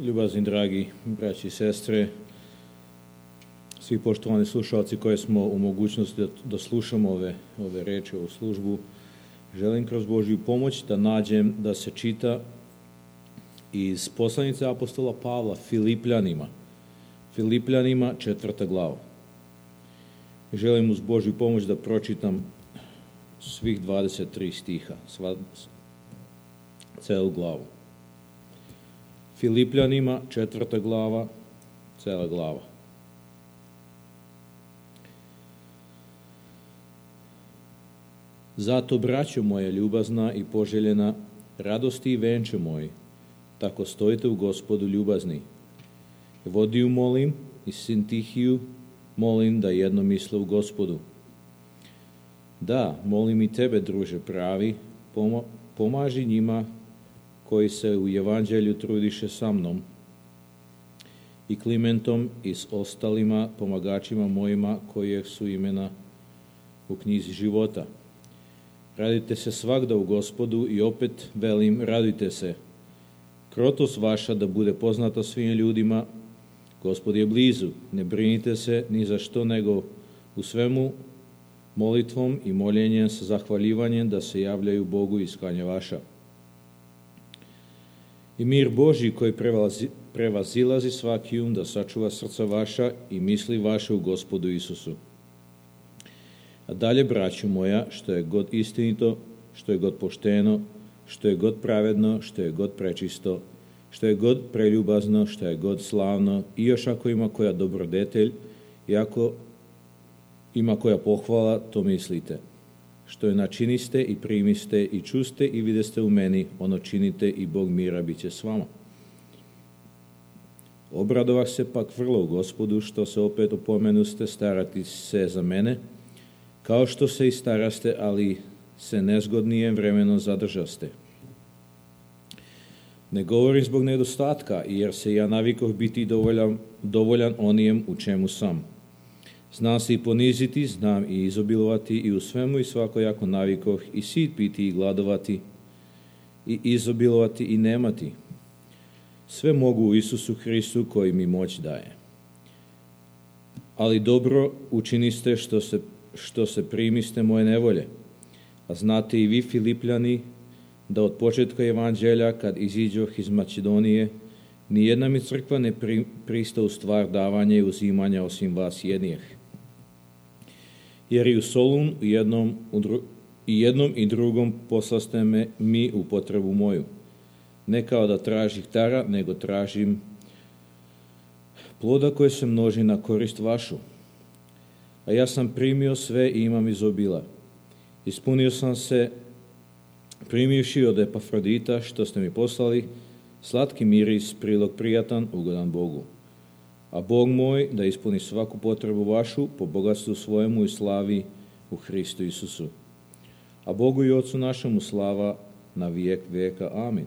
Ljubazni, dragi braći i sestre, svi poštovani slušalci koji smo u mogućnosti da slušamo ove reči, ovu službu, želim kroz Božju pomoć da nađem da se čita iz poslanice apostola Pavla Filipljanima 4. glava. Želim uz Božju pomoć da pročitam svih 23 stiha, celu glavu. Filipljanima 4. glava, cela glava. Zato, braćo moja ljubazna i poželjena, radosti i venče moji, tako stojite u Gospodu ljubazni. Vodiju molim i Sintihiju molim da jedno misle u Gospodu. Da, molim i tebe, druže pravi, pomaži njima koji se u evanđelju trudiše sa mnom, i Klimentom i s ostalima pomagačima mojima kojih su imena u knjizi života. Radite se svagda u Gospodu i opet velim, radujte se. Krotost vaša da bude poznata svim ljudima, Gospod je blizu, ne brinite se ni za što, nego u svemu molitvom i moljenjem sa zahvaljivanjem da se javljaju Bogu iskanja vaša. I mir Božji koji prevazilazi svaki da sačuva srca vaša i misli vaše u Gospodu Isusu. A dalje, braćo moja, što je god istinito, što je god pošteno, što je god pravedno, što je god prečisto, što je god preljubazno, što je god slavno, i još ako ima koja dobrodetelj, i ako ima koja pohvala, to mislite. Što je načiniste i primiste i čuste i videste u meni, ono činite i Bog mira bit će s vama. Obradovah se pak vrlo u Gospodu, što se opet opomenuste starati se za mene, kao što se i staraste, ali se nezgodnije vremeno zadržaste. Ne govorim zbog nedostatka, jer se ja navikoh biti dovoljan onijem u čemu sam. Znam se i poniziti, znam i izobilovati, i u svemu i svakojako navikoh i sit piti i gladovati, i izobilovati i nemati. Sve mogu u Isusu Hristu koji mi moć daje. Ali dobro učiniste što se primiste moje nevolje. A znate i vi, Filipljani, da od početka evanđelja, kad iziđoh iz Makedonije, nijedna mi crkva ne prista u stvar davanja i uzimanja osim vas jednijeh. Jer i u Solun i jednom i drugom poslaste me mi u potrebu moju. Ne kao da tražih dara, nego tražim ploda koje se množi na korist vašu. A ja sam primio sve i imam izobila. Ispunio sam se, primivši od Epafrodita, što ste mi poslali, slatki miris, prilog prijatan, ugodan Bogu. A Bog moj da ispuni svaku potrebu vašu po bogatstvu svojemu i slavi u Hristu Isusu. A Bogu i Otcu našemu slava na vijek vijeka. Amin.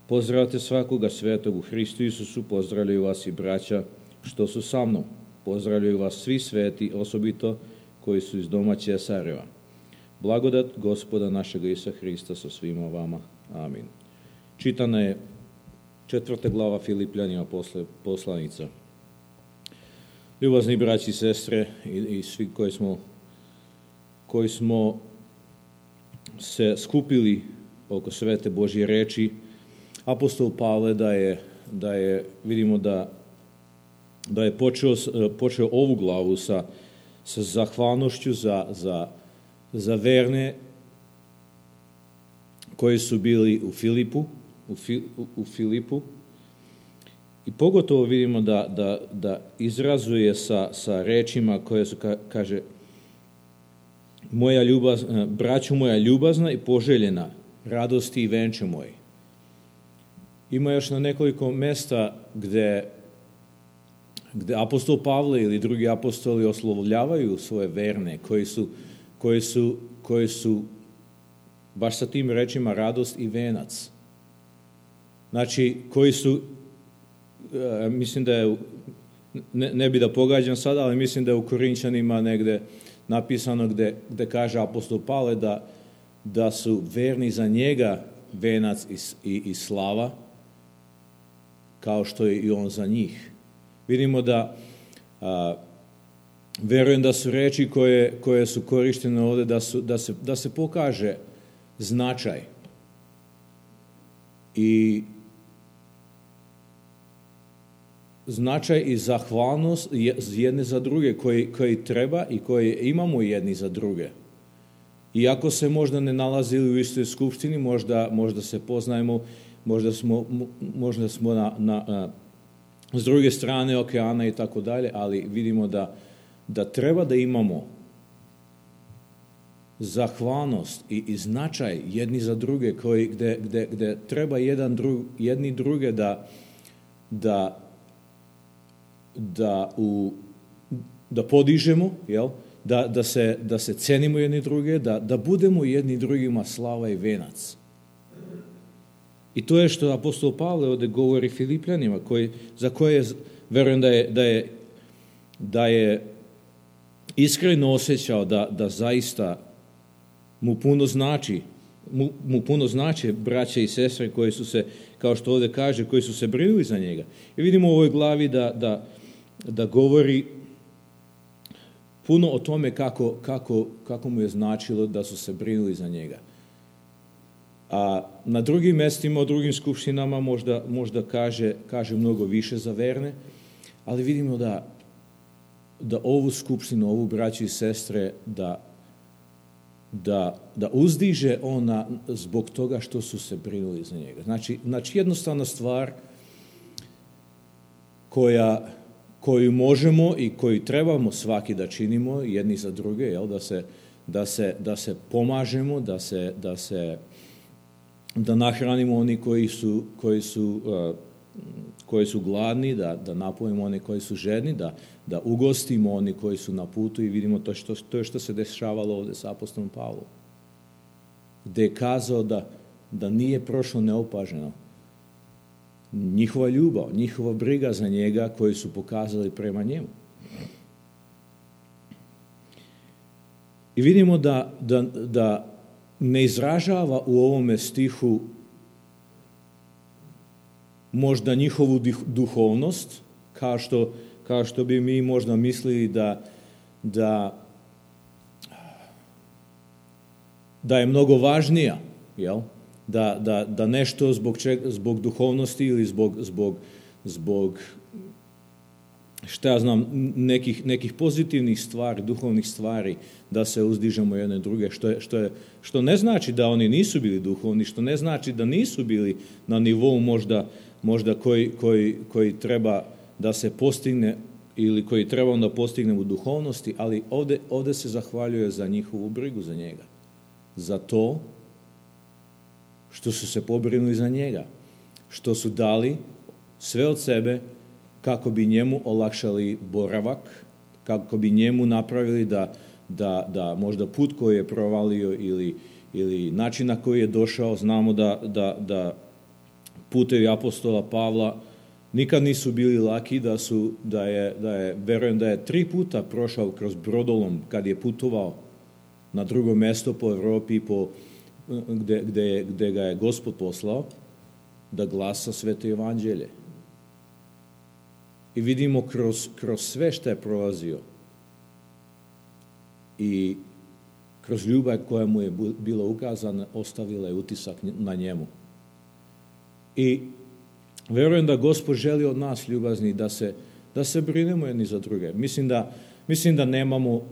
Pozdravite svakoga svetog u Hristu Isusu, pozdravljaju vas i braća što su sa mnom. Pozdravljaju vas svi sveti, osobito koji su iz doma Cesareva. Blagodat Gospoda našega Isusa Hrista sa svima vama. Amin. Čitana je 4. glava Filipljanima poslanica. Ljubazni braći i sestre i svi koji smo se skupili oko svete Božje reči, apostol Pavle vidimo da je počeo ovu glavu sa zahvalnošću za verne koji su bili u Filipu, i pogotovo vidimo da izrazuje sa rečima koje su, kaže, braćo moja ljubazna i poželjena, radosti i venče moji. Ima još na nekoliko mesta gde apostol Pavle ili drugi apostoli oslovljavaju svoje verne koji su baš sa tim rečima radost i venac. Znači, koji su, mislim da je, ne bi da pogađam sada, ali mislim da je u Korinčanima negde napisano gde kaže apostol Pavle da su verni za njega venac i slava, kao što je i on za njih. Vidimo da, verujem da su reči koje su korištene ovdje, da se pokaže značaj i zahvalnost jedne za druge koji treba i koje imamo jedni za druge. Iako se možda ne nalazili u istoj skupštini, možda se poznajemo, možda smo s druge strane okeana i tako dalje, ali vidimo da treba da imamo zahvalnost i značaj jedni za druge, gde treba jedni druge da podižemo, jel? Da se cenimo jedni druge, da budemo jedni drugima slava i venac. I to je što apostol Pavle ovdje govori Filipljanima, za koje verujem da je iskreno osjećao da zaista mu puno znači braće i sestre koji su se, kao što ovdje kaže, koji su se brinuli za njega. I vidimo u ovoj glavi da govori puno o tome kako mu je značilo da su se brinuli za njega. A na drugim mjestima, u drugim skupštinama možda kaže mnogo više za verne, ali vidimo da ovu skupštinu, ovu braću i sestre, da uzdiže ona zbog toga što su se brinuli za njega. Znači jednostavna stvar koju možemo i koju trebamo svaki da činimo jedni za druge, jel? Da se pomažemo, da nahranimo oni koji su gladni, da napojimo oni koji su žedni, da ugostimo oni koji su na putu i vidimo to je što se dešavalo ovdje s apostolom Pavlom. Gdje je kazao da nije prošlo neopaženo. Njihova ljubav, njihova briga za njega koju su pokazali prema njemu. I vidimo da ne izražava u ovome stihu možda njihovu duhovnost, kao što bi mi možda mislili da je mnogo važnija, jel? Da nešto zbog duhovnosti ili zbog šta ja znam, nekih pozitivnih stvari, duhovnih stvari, da se uzdižemo jedne druge, što ne znači da oni nisu bili duhovni, što ne znači da nisu bili na nivou možda koji treba da se postigne ili koji treba da postignemo u duhovnosti, ali ovdje se zahvaljuje za njihovu brigu za njega. Za to što su se pobrinuli za njega, što su dali sve od sebe kako bi njemu olakšali boravak, kako bi njemu napravili da možda put koji je provalio ili način na koji je došao, znamo da putevi apostola Pavla nikad nisu bili laki, verujem da je 3 puta prošao kroz brodolom kad je putovao na drugo mjesto po Europi, gdje ga je Gospod poslao da glasa sveto evanđelje. I vidimo kroz sve što je prolazio i kroz ljubav koja mu je bila ukazana, ostavila je utisak na njemu. I verujem da Gospod želi od nas, ljubazni, da se brinemo jedni za druge. Mislim da nemamo,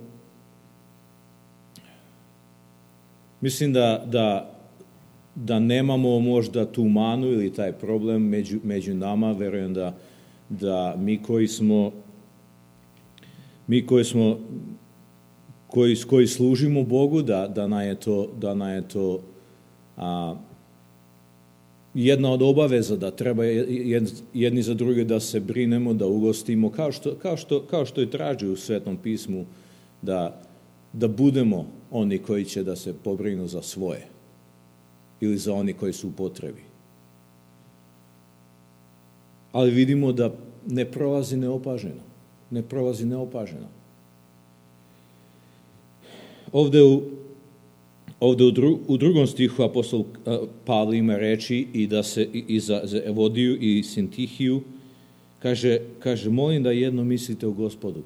da nemamo možda tu manu ili taj problem među nama. Verujem da koji služimo Bogu, da nam je to jedna od obaveza, da treba jedni za druge da se brinemo, da ugostimo, kao što i traži u Svetom pismu, da budemo oni koji će da se pobrinu za svoje ili za oni koji su u potrebi. Ali vidimo da ne prolazi neopaženo. ovdje u drugom stihu apostol Pavle ima reči i da se i za Evodiju i Sintihiju kaže molim da jedno mislite u Gospodu.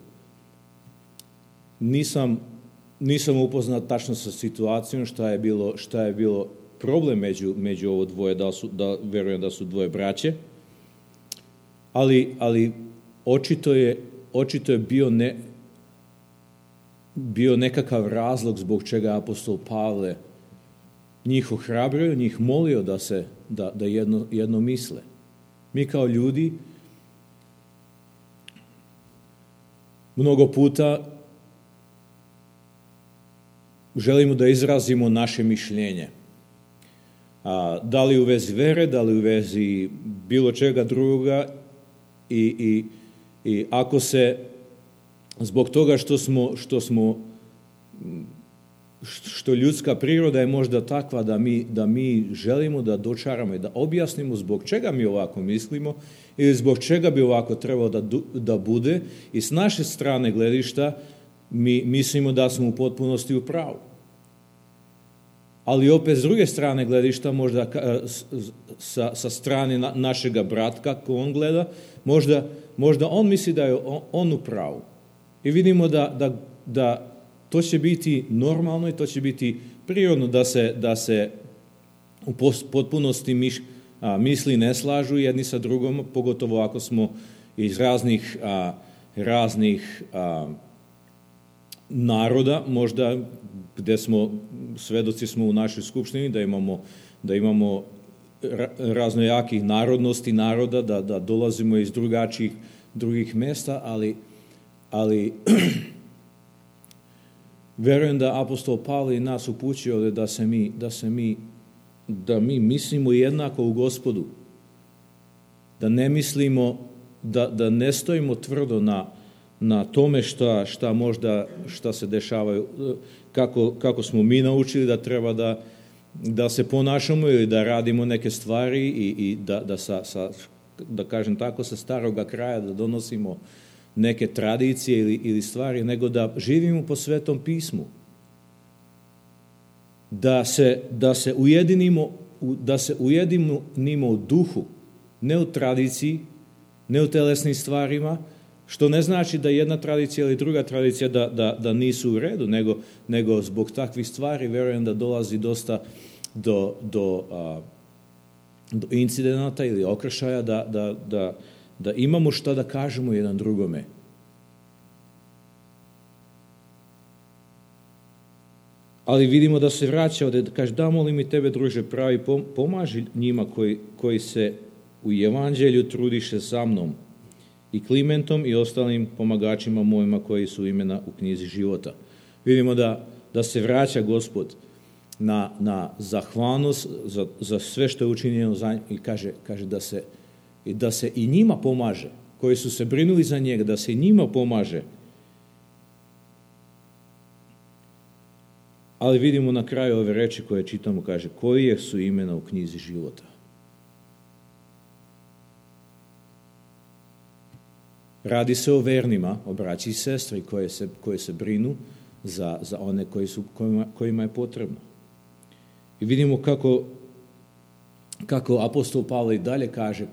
Nisam upoznat tačno sa situacijom šta je bilo problem među ovo dvoje, da verujem da su dvoje braće, ali očito je bio nekakav razlog zbog čega apostol Pavle njih ohrabrio, njih molio da jedno misle. Mi kao ljudi mnogo puta želimo da izrazimo naše mišljenje. Da li u vezi vere, da li u vezi bilo čega drugoga i ako se zbog toga što ljudska priroda je možda takva da mi želimo da dočaramo i da objasnimo zbog čega mi ovako mislimo ili zbog čega bi ovako trebalo da bude i s naše strane gledišta mi mislimo da smo u potpunosti u pravu. Ali opet s druge strane gledišta, možda sa strane našega brata, kako on gleda, možda on misli da je on u pravu. I vidimo da to će biti normalno i to će biti prirodno da se u potpunosti misli ne slažu jedni sa drugom, pogotovo ako smo iz raznih naroda, možda gde svedoci smo u našoj skupštini, da imamo raznojakih narodnosti naroda, da dolazimo iz drugih mesta, ali verujem da apostol Pavle nas upućuje ovdje da mi mislimo jednako u Gospodu, da ne mislimo, da ne stojimo tvrdo na tome šta se dešava, kako smo mi naučili da treba da se ponašamo ili da radimo neke stvari i da kažem tako, sa staroga kraja da donosimo neke tradicije ili stvari, nego da živimo po Svetom pismu. Da se ujedinimo u duhu, ne u tradiciji, ne u telesnim stvarima, što ne znači da jedna tradicija ili druga tradicija da nisu u redu, nego zbog takvih stvari verujem da dolazi dosta do incidenata ili okršaja da imamo šta da kažemo jedan drugome. Ali vidimo da se vraća ovdje, da kaže, da molim i tebe, druže pravi, pomaži njima koji se u evanđelju trudiše sa mnom i Klimentom i ostalim pomagačima mojima koji su imena u knjizi života. Vidimo da se vraća Gospod na zahvalnost za sve što je učinjeno za njega i kaže da se i njima pomaže, koji su se brinuli za njega, da se i njima pomaže. Ali vidimo na kraju ove reči koje čitamo, kaže, koji su imena u knjizi života. Radi se o vernima, o braći i sestri koje se brinu za one kojima je potrebno. I vidimo kako apostol Pavle i dalje kaže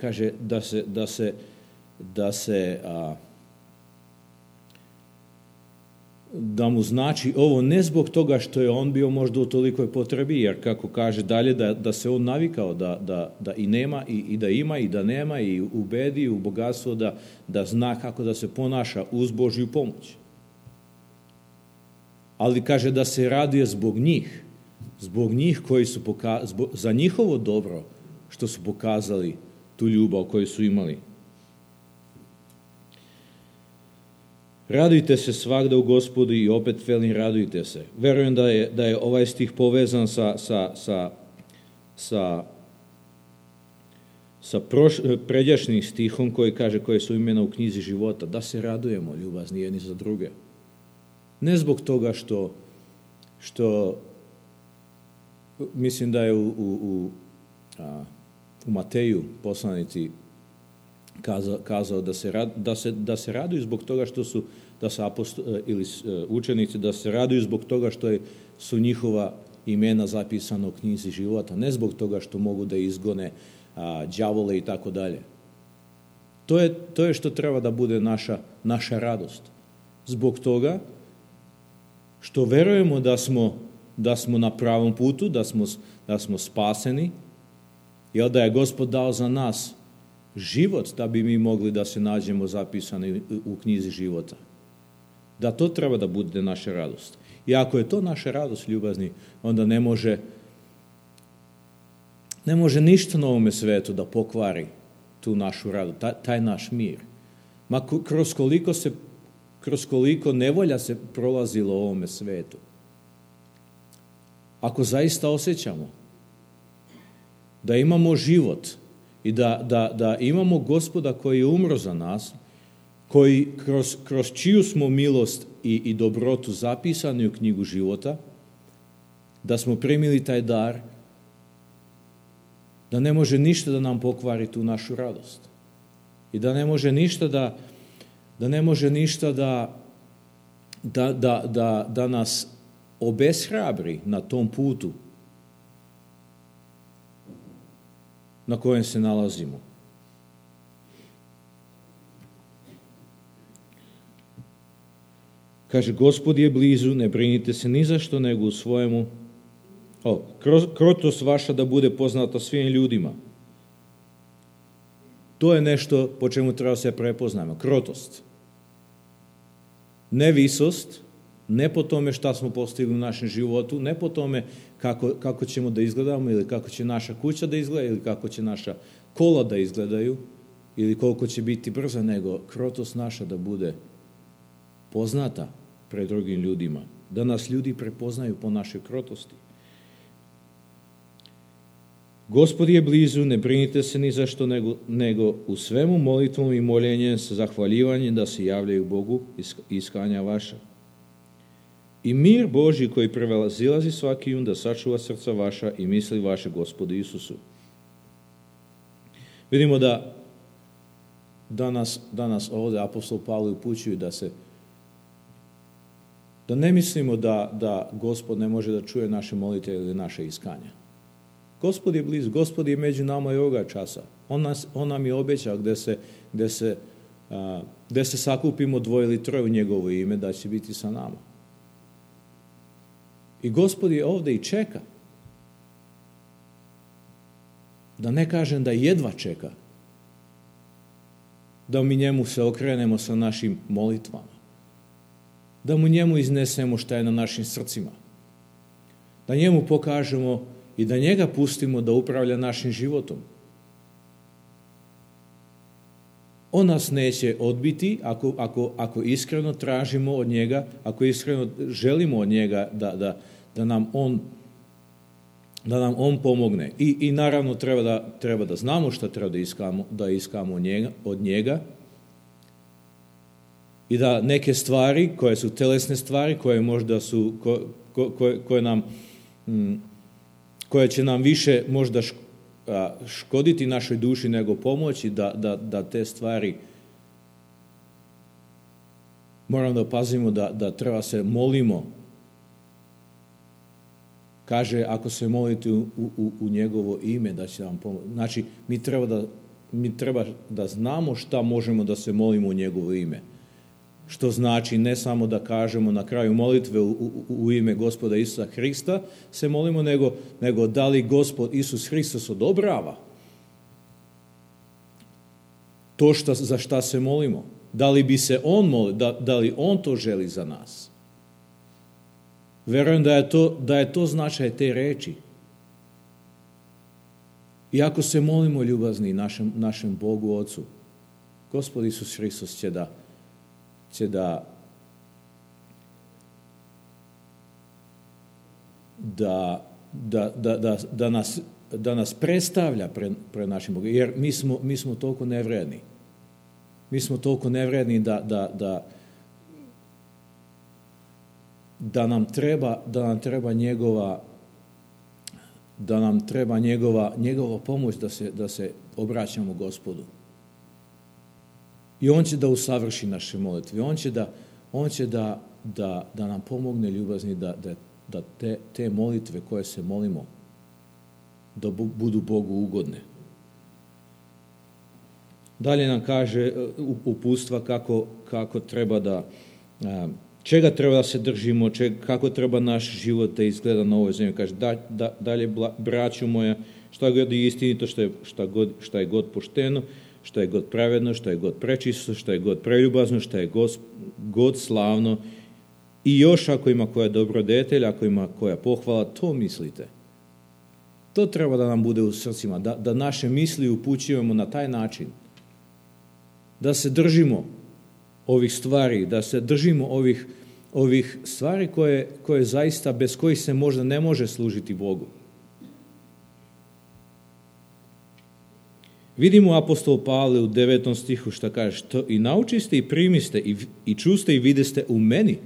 da mu znači ovo ne zbog toga što je on bio možda u tolikoj potrebi, jer kako kaže dalje da se on navikao da i nema i da ima i da nema i u bedi i u bogatstvu da zna kako da se ponaša uz Božju pomoć. Ali kaže da se raduje zbog njih koji su za njihovo dobro što su pokazali tu ljubav koju su imali. Radujte se svagda u Gospodu i opet velim radujte se. Verujem da je ovaj stih povezan sa pređašnjim stihom koji kaže koje su imena u knjizi života. Da se radujemo ljubazni jedni za druge. Ne zbog toga što mislim da je u Mateju poslanici kazao da se raduju zbog toga da su učenici, da se raduju zbog toga što su njihova imena zapisana u knjizi života, ne zbog toga što mogu da izgone đavole i tako dalje. To je što treba da bude naša radost. Zbog toga što verujemo da smo na pravom putu, da smo spaseni, jer da je Gospod dao za nas život da bi mi mogli da se nađemo zapisani u knjizi života. Da to treba da bude naša radost. I ako je to naša radost, ljubazni, onda ne može ništa na ovome svetu da pokvari tu našu radost, taj naš mir. Ma kroz koliko nevolja se prolazilo u ovome svetu. Ako zaista osjećamo da imamo život i da imamo Gospoda koji je umro za nas, koji kroz čiju smo milost i dobrotu zapisani u knjigu života, da smo primili taj dar, da ne može ništa da nam pokvari tu našu radost. I da ne može ništa da nas obeshrabri na tom putu na kojem se nalazimo. Kaže, Gospod je blizu, ne brinite se ni za što, nego u svojemu. Krotost vaša da bude poznata svim ljudima. To je nešto po čemu treba se prepoznamo. Krotost. Ne visost, ne po tome šta smo postigli u našem životu, ne po tome kako ćemo da izgledamo ili kako će naša kuća da izgleda ili kako će naša kola da izgledaju ili koliko će biti brza, nego krotost naša da bude poznata pred drugim ljudima. Da nas ljudi prepoznaju po našoj krotosti. Gospod je blizu, ne brinite se ni za što, nego u svemu molitvom i moljenjem sa zahvaljivanjem da se javljaju Bogu iskanja vaša. I mir Božji koji prevazilazi svaki da sačuva srca vaša i misli vaše Gospodu Isusu. Vidimo da danas ovdje apostol Pavle upućuje da ne mislimo da Gospod ne može da čuje naše molitve ili naše iskanja. Gospod je blizu, Gospod je među nama i ovoga časa. On nam je obećao gde se sakupimo 2 ili 3 u njegovo ime, da će biti sa nama. I Gospod je ovdje i čeka. Da ne kažem da jedva čeka. Da mi njemu se okrenemo sa našim molitvama. Da mu njemu iznesemo šta je na našim srcima. Da njemu pokažemo i da njega pustimo da upravlja našim životom. On nas neće odbiti ako iskreno tražimo od njega, ako iskreno želimo od njega da nam on pomogne. I naravno treba da znamo šta treba da iskamo od njega i da neke stvari koje su telesne stvari, koje možda su koje će nam više možda škoditi našoj duši nego pomoći, da te stvari moramo da pazimo da treba se molimo. Kaže, ako se molite u njegovo ime, da će vam pomoći. Znači, mi treba da znamo šta možemo da se molimo u njegovo ime. Što znači ne samo da kažemo na kraju molitve u ime Gospoda Isusa Hrista se molimo, nego da li Gospod Isus Hristos odobrava to za šta se molimo. Da li bi se on molio, da li on to želi za nas. Verujem da je to značaj te reči. I ako se molimo ljubazni našem Bogu Ocu, Gospod Isus Hristos će da nas predstavlja pred našim Bogom, jer mi smo toliko nevredni. Mi smo toliko nevredni da nam treba njegova pomoć da se obraćamo Gospodu. I on će da usavrši naše molitve. On će da nam pomogne ljubazni da te molitve koje se molimo, da budu Bogu ugodne. Dalje nam kaže uputstva kako treba da, čega treba da se držimo, kako treba naš život da izgleda na ovoj zemlji. Kaže, dalje, braćo moja, šta god je istinito, šta je god pošteno, šta je god pravedno, šta je god prečisto, šta je god preljubazno, šta je god slavno, i još ako ima koja dobrodetelj, ako ima koja pohvala, to mislite. To treba da nam bude u srcima, da naše misli upućujemo na taj način. Da se držimo ovih stvari, da se držimo ovih stvari koje zaista, bez kojih se možda ne može služiti Bogu. Vidimo apostol Pavle u 9. stihu šta kaže, što i naučiste i primiste i čuste i videste u meni.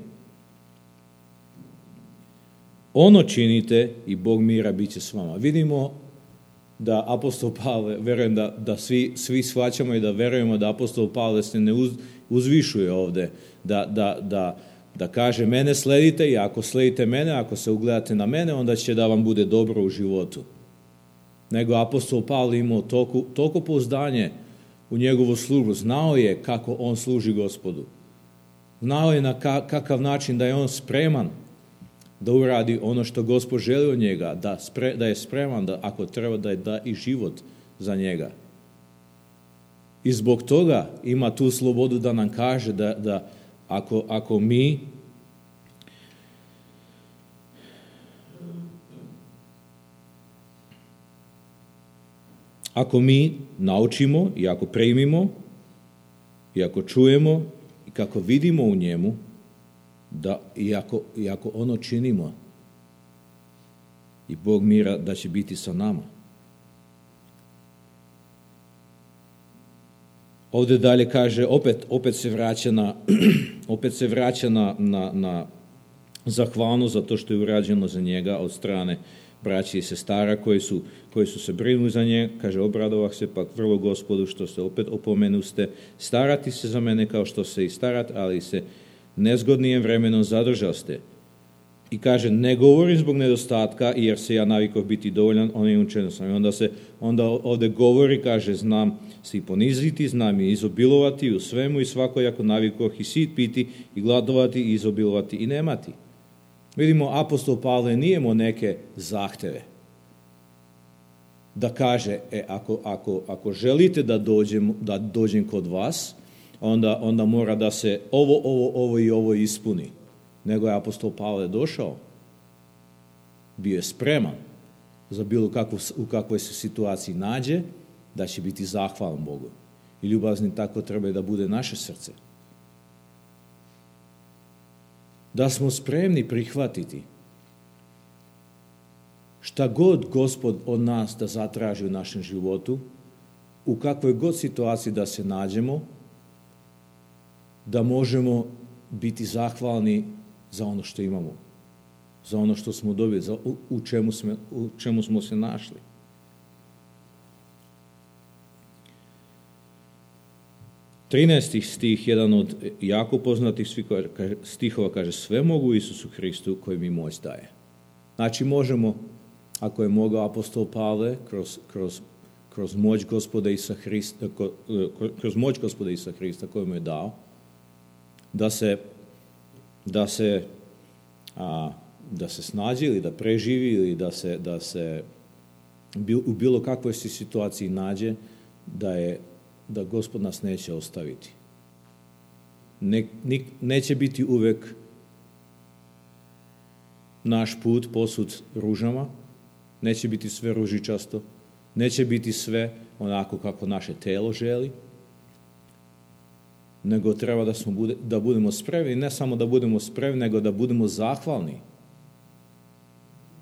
Ono činite i Bog mira bit će s vama. Vidimo da apostol Pavle, verujem da svi shvaćamo i da verujemo da apostol Pavle se ne uzvišuje ovde, da kaže mene sledite i ako sledite mene, ako se ugledate na mene, onda će da vam bude dobro u životu. Nego apostol Pavle imao toliko pouzdanje u njegovu službu, znao je kako on služi Gospodu. Znao je na kakav način da je on spreman da uradi ono što Gospod želi od njega, da je spreman da ako treba da da i život za njega. I zbog toga ima tu slobodu da nam kaže da ako mi naučimo i ako primimo i ako čujemo i kako vidimo u njemu, da i ako ono činimo, i Bog mira da će biti sa nama. Ovdje dalje kaže, opet se vraća na zahvalnost za to što je urađeno za njega od strane braći i sestara koji su se brinuli za njega. Kaže, obradovah se pak vrlo Gospodu što se opet opomenuste starati se za mene kao što se i starat, ali se nezgodnijem vremenom zadržaste. I kaže, ne govorim zbog nedostatka, jer se ja navikao biti dovoljan, onim učenom sam. I onda ovdje govori, kaže, znam se i poniziti, znam i izobilovati u svemu i svakojako navikoh i sit piti i gladovati i izobilovati i nemati. Vidimo, apostol Pavle nije imao neke zahteve. Da kaže, ako želite da dođem kod vas, onda mora da se ovo i ovo ispuni. Nego je apostol Pavle došao, bio je spreman za bilo u kakvoj se situaciji nađe, da će biti zahvalan Bogu. I ljubazni tako treba da bude naše srce. Da smo spremni prihvatiti šta god Gospod od nas da zatraži u našem životu, u kakvoj god situaciji da se nađemo, da možemo biti zahvalni za ono što imamo, za ono što smo dobili, u čemu smo se našli. Trinaesti stih, jedan od jako poznatih stihova, kaže, sve mogu Isusu Hristu koji mi moć daje. Znači možemo, ako je mogao apostol Pavle kroz moć Gospoda Isusa Hrista koju mu je dao, da se snađe ili da preživi ili da se u bilo kakvoj situaciji nađe, da Gospod nas neće ostaviti. Neće biti uvek naš put posut ružama, neće biti sve ružičasto, neće biti sve onako kako naše telo želi, nego treba da budemo spremni, ne samo da budemo spremni, nego da budemo zahvalni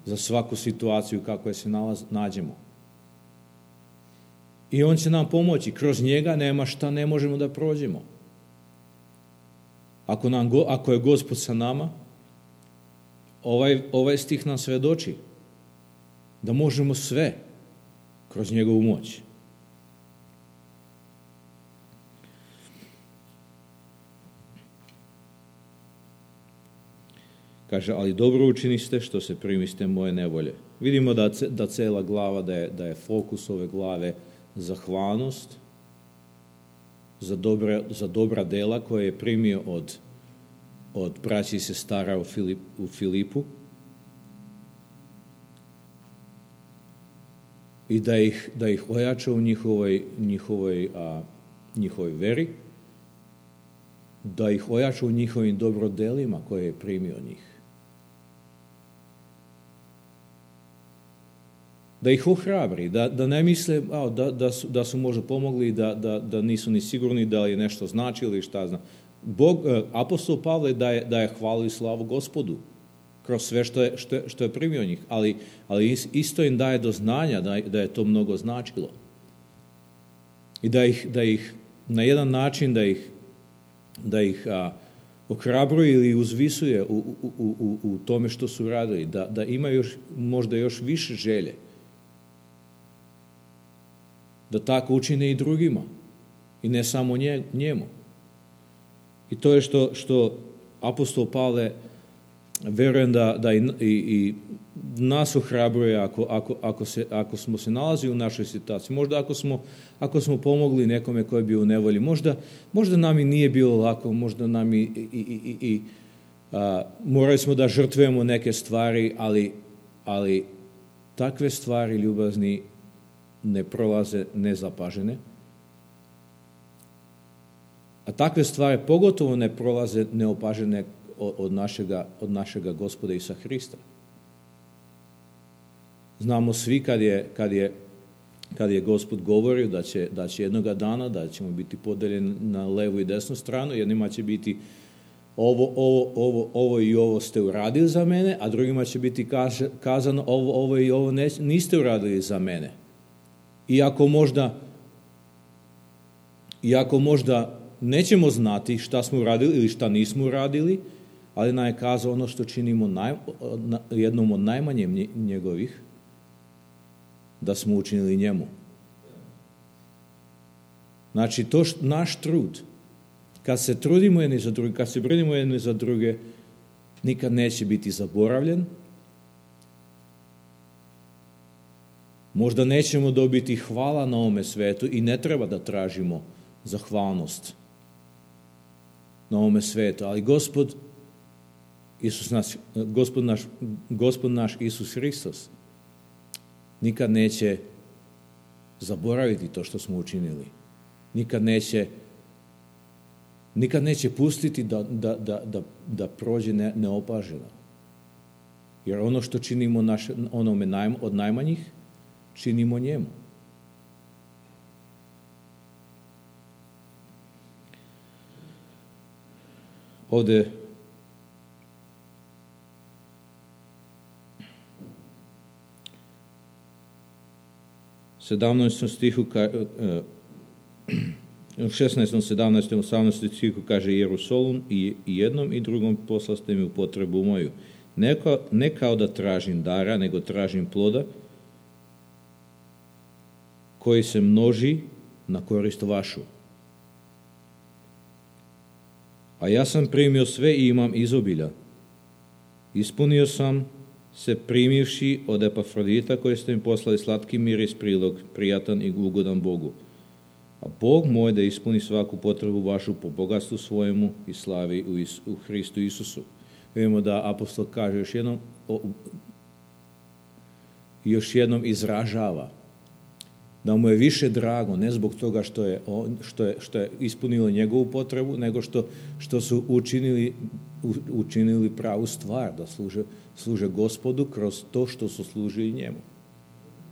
za svaku situaciju kako je se nađemo. I on će nam pomoći. Kroz njega nema šta ne možemo da prođemo. Ako je Gospod sa nama, ovaj stih nam svedoči da možemo sve kroz njegovu moć. kaže, ali dobro učiniste što se primiste moje nevolje. Vidimo da cela glava, da je fokus ove glave zahvalnost za dobra dela koje je primio od braći i sestara u Filipu i da ih ojača u njihovoj veri, da ih ojača u njihovim dobrodelima koje je primio od njih. Da ih ohrabri, da ne misle da su možda pomogli, da nisu ni sigurni da je nešto znači ili šta zna. Apostol Pavle daje hvalu i slavu Gospodu kroz sve što je primio od njih, ali isto im daje do znanja da je to mnogo značilo. I da ih na jedan način da ih ohrabruje ili uzvisuje u tome što su radili, da imaju možda još više želje, da tako učine i drugima i ne samo njemu. I to je što apostol Pavle, verujem da i nas ohrabruje ako smo se nalazili u našoj situaciji. Možda ako smo pomogli nekome koji je bio u nevolji, možda nam i nije bilo lako, možda nam morali smo da žrtvujemo neke stvari, ali takve stvari, ljubazni, ne prolaze nezapažene. A takve stvari pogotovo ne prolaze neopažene od našega Gospoda Isusa Hrista. Znamo svi kad je Gospod govorio da će jednoga dana, da ćemo biti podeljeni na levu i desnu stranu, jednima će biti ovo i ovo ste uradili za mene, a drugima će biti kazano ovo i ovo niste uradili za mene. Iako možda nećemo znati šta smo uradili ili šta nismo uradili, ali nam je kazao ono što činimo jednom od najmanje njegovih, da smo učinili njemu. Znači, to naš trud, kad se trudimo jedni za druge, kad se brinimo jedni za druge, nikad neće biti zaboravljen. Možda nećemo dobiti hvala na ovome svetu i ne treba da tražimo zahvalnost na ovome svetu, ali Gospod naš Isus Hristos nikad neće zaboraviti to što smo učinili. Nikad neće pustiti da prođe neopaženo. Jer ono što činimo onome od najmanjih, činimo njemu. Ovde u 17. stihu u 16., 17., 18. stihu kaže Jerusalem i jednom i drugom poslaste mi u potrebu moju. Ne kao da tražim dara, nego tražim ploda koji se množi na korist vašu. A ja sam primio sve i imam izobilja. Ispunio sam se primivši od Epafrodita koje ste mi poslali slatki miris prilog, prijatan i ugodan Bogu. A Bog moj da ispuni svaku potrebu vašu po bogatstvu svojemu i slavi u Hristu Isusu. Vidimo da apostol kaže još jednom izražava da mu je više drago, ne zbog toga što je ispunilo njegovu potrebu, nego što su učinili pravu stvar, da služe Gospodu kroz to što su služili njemu.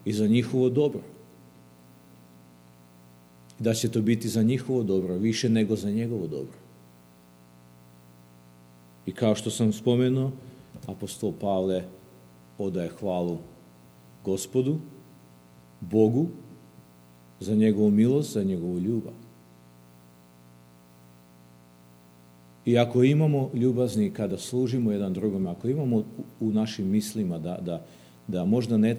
I za njihovo dobro. Da će to biti za njihovo dobro, više nego za njegovo dobro. I kao što sam spomenuo, apostol Pavle odaje hvalu Gospodu, Bogu, za njegovu milost, za njegovu ljubav. I ako imamo ljubazni kada služimo jedan drugom, ako imamo u našim mislima da možda ne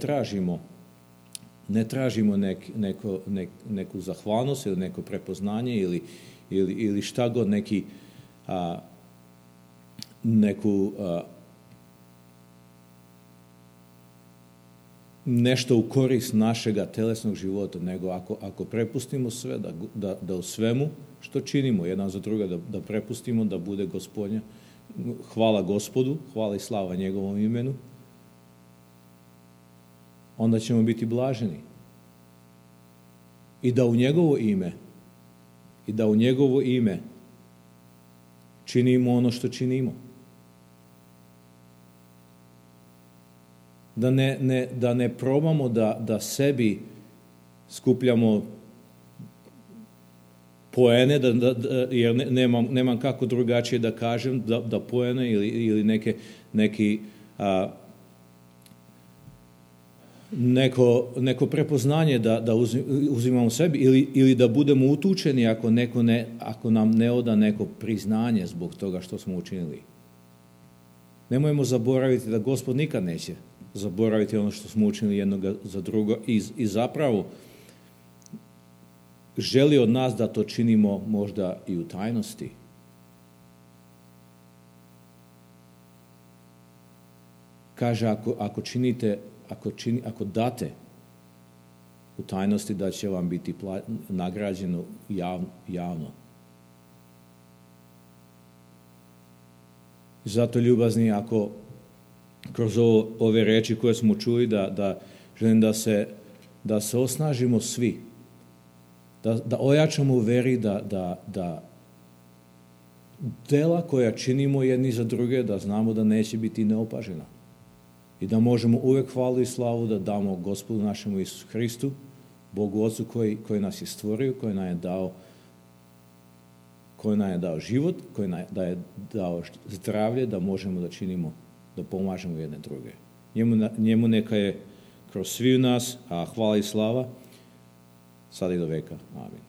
tražimo neku zahvalnost ili neko prepoznanje ili šta god neku nešto u korist našega telesnog života, nego ako prepustimo sve, da u svemu što činimo jedan za druga, da prepustimo da bude Gospodnja, hvala Gospodu, hvala i slava njegovom imenu, onda ćemo biti blaženi. I da u njegovo ime činimo ono što činimo. Da ne probamo da sebi skupljamo poene, jer nemam kako drugačije da kažem, da poene ili neko prepoznanje da uzimamo sebi ili da budemo utučeni ako nam ne oda neko priznanje zbog toga što smo učinili. Nemojmo zaboraviti da Gospod nikad neće zaboraviti ono što smo učinili jednog za drugo i zapravo želi od nas da to činimo možda i u tajnosti. Kaže, ako date u tajnosti, da će vam biti nagrađeno javno. Zato, ljubazni, ako kroz ove reči koje smo čuli, da želim da se osnažimo svi, da ojačamo u veri, da dela koja činimo jedni za druge, da znamo da neće biti neopažena. I da možemo uvek hvalu i slavu da damo Gospodu našemu Isusu Hristu, Bogu Otcu koji nas je stvorio, koji nam je dao život, koji nam je dao zdravlje, da možemo da činimo, da pomažemo jedne druge. Njemu neka je kroz svi u nas, a hvala i slava, sad i do veka. Amin.